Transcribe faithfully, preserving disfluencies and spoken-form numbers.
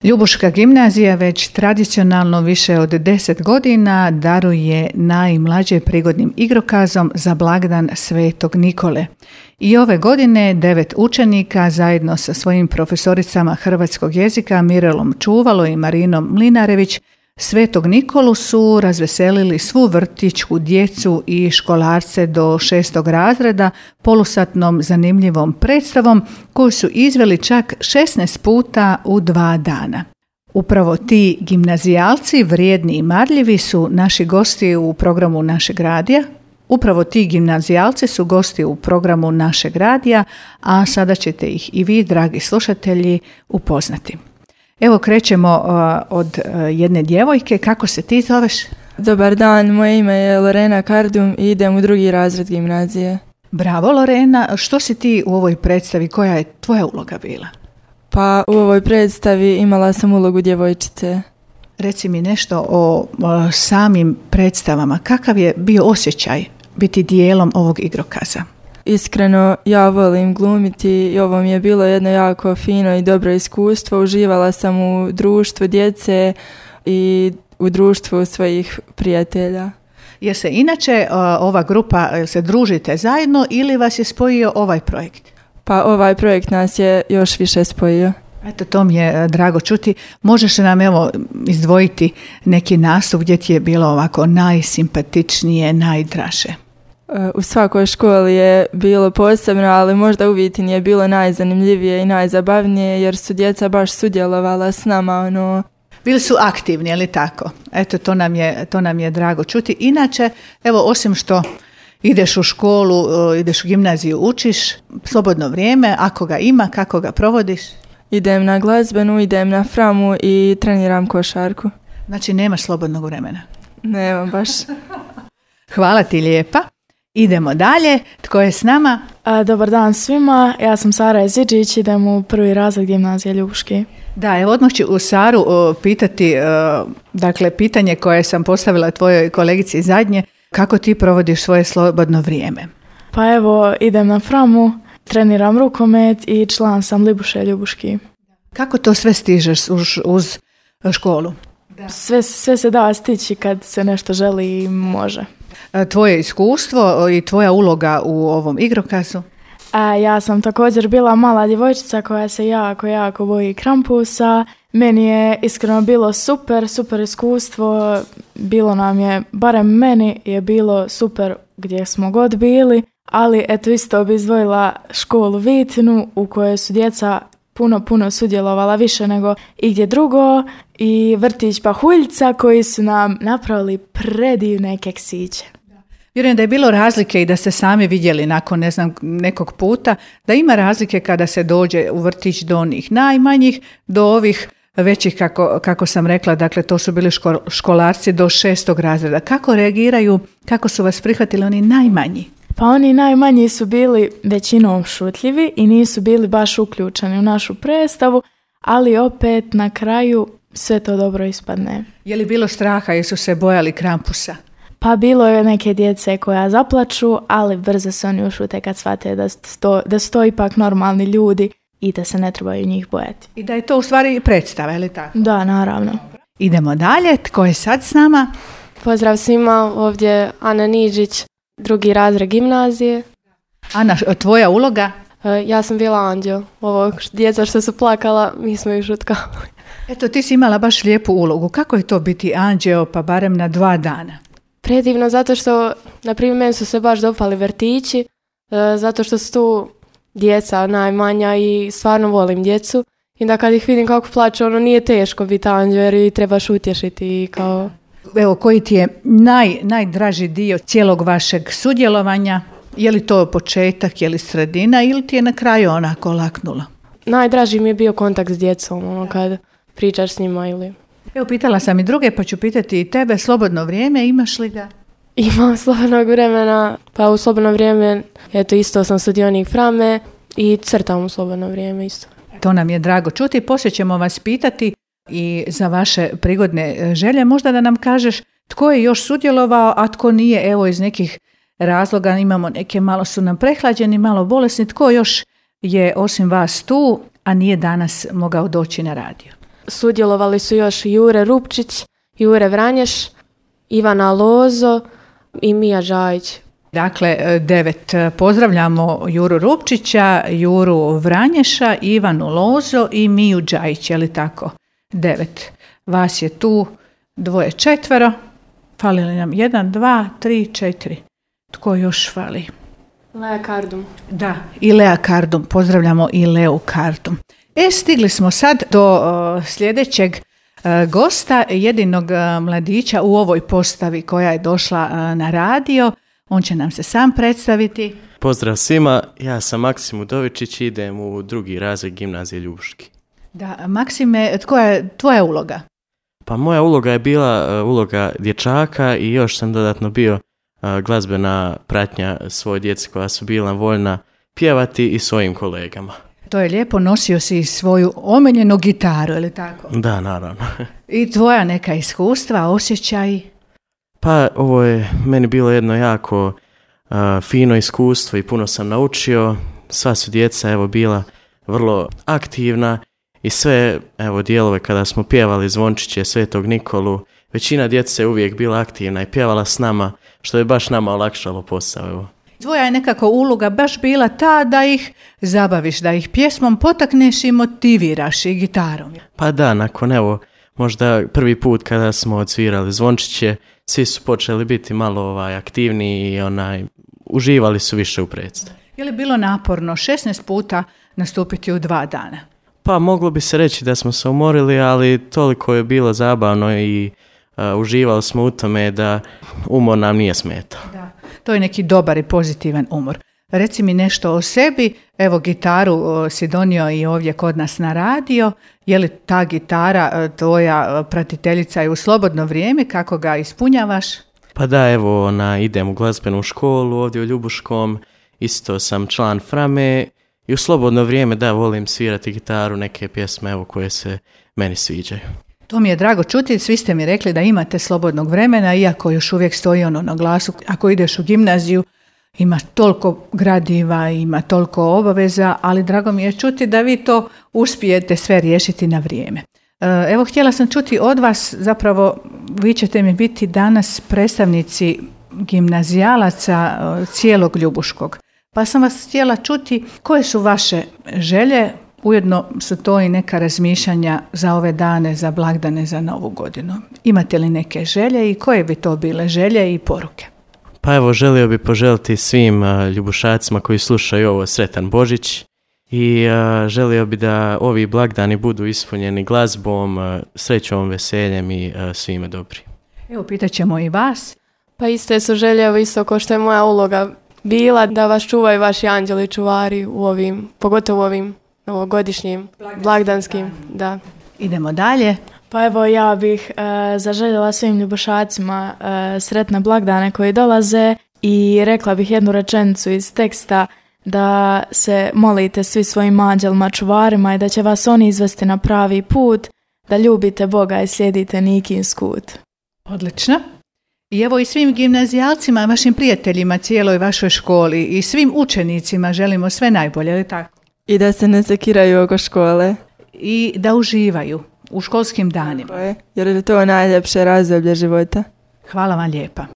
Ljubuška gimnazija već tradicionalno više od deset godina daruje najmlađe prigodnim igrokazom za blagdan Svetog Nikole. I ove godine devet učenika zajedno sa svojim profesoricama hrvatskog jezika Mirelom Čuvalo i Marinom Mlinarević Svetog Nikolu su razveselili svu vrtićku djecu i školarce do šestog razreda polusatnom zanimljivom predstavom koju su izveli čak šesnaest puta u dva dana. Upravo ti gimnazijalci, vrijedni i marljivi, su naši gosti u programu našeg radija. Upravo ti gimnazijalci su gosti u programu našeg radija, a sada ćete ih i vi, dragi slušatelji, upoznati. Evo krećemo uh, od uh, jedne djevojke. Kako se ti zoveš? Dobar dan, moje ime je Lorena Kardum i idem u drugi razred gimnazije. Bravo Lorena, što si ti u ovoj predstavi, koja je tvoja uloga bila? Pa u ovoj predstavi imala sam ulogu djevojčice. Reci mi nešto o, o samim predstavama, kakav je bio osjećaj biti dijelom ovog igrokaza? Iskreno, ja volim glumiti i ovo mi je bilo jedno jako fino i dobro iskustvo. Uživala sam u društvu djece i u društvu svojih prijatelja. Jer se inače ova grupa, se družite zajedno ili vas je spojio ovaj projekt? Pa ovaj projekt nas je još više spojio. Eto, to mi je drago čuti. Možeš nam evo izdvojiti neki nastup gdje ti je bilo ovako najsimpatičnije, najdraže? U svakoj školi je bilo posebno, ali možda u Vitini je bilo najzanimljivije i najzabavnije jer su djeca baš sudjelovala s nama. Ono... Bili su aktivni, je li tako? Eto, to nam je, to nam je drago čuti. Inače, evo, osim što ideš u školu, ideš u gimnaziju, učiš, slobodno vrijeme, ako ga ima, kako ga provodiš? Idem na glazbenu, idem na framu i treniram košarku. Znači, nemaš slobodnog vremena? Nemam baš. Hvala ti lijepa. Idemo dalje. Tko je s nama? A, dobar dan svima. Ja sam Sara Jeziđić, idem u prvi razred gimnazije Ljubuški. Da, evo odmah ću u Saru o, pitati, o, dakle, pitanje koje sam postavila tvojoj kolegici zadnje, kako ti provodiš svoje slobodno vrijeme? Pa evo, idem na framu, treniram rukomet i član sam Libuše Ljubuški. Kako to sve stižeš uz, uz školu? Da. Sve, sve se da stići kad se nešto želi i može. Tvoje iskustvo i tvoja uloga u ovom igrokazu? A, ja sam također bila mala djevojčica koja se jako, jako boji krampusa. Meni je iskreno bilo super, super iskustvo. Bilo nam je, barem meni je bilo super gdje smo god bili. Ali eto isto bi izdvojila školu Vitinu u kojoj su djeca puno, puno sudjelovala više nego igdje drugo. I vrtić Pahuljca koji su nam napravili predivne keksiće. Vjerujem da je bilo razlike i da ste sami vidjeli nakon ne znam, nekog puta, da ima razlike kada se dođe u vrtić do onih najmanjih, do ovih većih, kako, kako sam rekla, dakle to su bili ško, školarci do šestog razreda. Kako reagiraju, kako su vas prihvatili oni najmanji? Pa oni najmanji su bili većinom šutljivi i nisu bili baš uključeni u našu predstavu, ali opet na kraju sve to dobro ispadne. Je li bilo straha, jesu se bojali krampusa? Pa bilo je neke djece koja zaplaču, ali brzo se oni ušute kad shvate da, sto, da su to ipak normalni ljudi i da se ne trebaju njih bojati. I da je to u stvari predstava, je li tako? Da, naravno. Idemo dalje, tko je sad s nama? Pozdrav svima, ovdje Ana Niđić, drugi razred gimnazije. Ana, tvoja uloga? Ja sam bila anđeo. Ovo djeca što su plakala, mi smo ih šutkavali. Eto, ti si imala baš lijepu ulogu. Kako je to biti anđeo, pa barem na dva dana? Predivno, zato što, na primjer, meni su se baš dopali vrtići, zato što su tu djeca najmanja i stvarno volim djecu. I da kad ih vidim kako plaću, ono nije teško biti anđeo jer ih trebaš utješiti kao... Evo, koji ti je naj, najdraži dio cijelog vašeg sudjelovanja? Je li to početak, je li sredina ili ti je na kraju onako laknulo? Najdraži mi je bio kontakt s djecom, ono kad pričaš s njima ili... Evo, pitala sam i druge, pa ću pitati i tebe, slobodno vrijeme, imaš li ga? Imam slobodnog vremena, pa u slobodno vrijeme, eto isto sam sudionik frame i crtam u slobodno vrijeme isto. To nam je drago čuti, poslije ćemo vas pitati i za vaše prigodne želje, možda da nam kažeš tko je još sudjelovao, a tko nije, evo iz nekih razloga, imamo neke, malo su nam prehlađeni, malo bolesni, tko još je osim vas tu, a nije danas mogao doći na radio? Sudjelovali su još Jure Rupčić, Jure Vranješ, Ivana Lozo i Mija Đajić. Dakle, devet. Pozdravljamo Juru Rupčića, Juru Vranješa, Ivanu Lozo i Miju Đajić, je li tako? Devet. Vas je tu dvoje četvero. Fali li nam jedan, dva, tri, četiri. Tko još fali? Lea Kardum. Da, i Lea Kardum. Pozdravljamo i Leu Kardum. E, stigli smo sad do uh, sljedećeg uh, gosta, jedinog uh, mladića u ovoj postavi koja je došla uh, na radio. On će nam se sam predstaviti. Pozdrav svima, ja sam Maksim Udovičić i idem u drugi razred gimnazije Ljubuški. Da, Maksime, koja je tvoja uloga? Pa moja uloga je bila uh, uloga dječaka i još sam dodatno bio uh, glazbena pratnja svoje djece koja su bila voljna pjevati i svojim kolegama. To je lijepo, nosio si svoju omiljenu gitaru, je li tako? Da, naravno. I tvoja neka iskustva, osjećaj? Pa ovo je meni bilo jedno jako uh, fino iskustvo i puno sam naučio. Sva su djeca evo bila vrlo aktivna i sve evo dijelove kada smo pjevali zvončiće Svetog Nikolu, većina djece je uvijek bila aktivna i pjevala s nama, što je baš nama olakšalo posao. Evo. Tvoja je nekako uloga baš bila ta da ih zabaviš, da ih pjesmom potakneš i motiviraš i gitarom. Pa da, nakon evo možda prvi put kada smo odsvirali zvončiće, svi su počeli biti malo ovaj, aktivniji i onaj, uživali su više u predstavi. Je li bilo naporno šesnaest puta nastupiti u dva dana? Pa moglo bi se reći da smo se umorili, ali toliko je bilo zabavno i uh, uživali smo u tome da umor nam nije smetao. Da, to je neki dobar i pozitivan umor. Reci mi nešto o sebi, evo gitaru o, si donio i ovdje kod nas na radio, je li ta gitara tvoja pratiteljica je u slobodno vrijeme, kako ga ispunjavaš? Pa da, evo ona, idem u glazbenu školu ovdje u Ljubuškom, isto sam član Frame i u slobodno vrijeme da volim svirati gitaru, neke pjesme evo koje se meni sviđaju. To mi je drago čuti, svi ste mi rekli da imate slobodnog vremena, iako još uvijek stoji ono na glasu, ako ideš u gimnaziju, ima toliko gradiva, ima toliko obaveza, ali drago mi je čuti da vi to uspijete sve riješiti na vrijeme. Evo, htjela sam čuti od vas, zapravo vi ćete mi biti danas predstavnici gimnazijalaca cijelog Ljubuškog. Pa sam vas htjela čuti koje su vaše želje, ujedno su to i neka razmišljanja za ove dane, za blagdane, za Novu godinu. Imate li neke želje i koje bi to bile želje i poruke? Pa evo, želio bi poželiti svim uh, ljubušacima koji slušaju ovo sretan Božić i uh, želio bi da ovi blagdani budu ispunjeni glazbom, uh, srećom, veseljem i uh, svime dobri. Evo, pitat ćemo i vas. Pa iste su želje, isto kao što je moja uloga bila, da vas čuvaju vaši anđeli čuvari u ovim, pogotovo u ovim novogodišnjim, blagdanskim. Da. Idemo dalje. Pa evo, ja bih e, zaželjela svim ljubušacima e, sretne blagdane koji dolaze i rekla bih jednu rečenicu iz teksta da se molite svi svojim anđelima čuvarima i da će vas oni izvesti na pravi put, da ljubite Boga i slijedite Nikin skut. Odlično. I evo i svim gimnazijalcima, vašim prijateljima, cijeloj vašoj školi i svim učenicima želimo sve najbolje, ali tako? I da se ne sekiraju oko škole. I da uživaju u školskim danima. Jer je to najljepše razdoblje života. Hvala vam lijepa.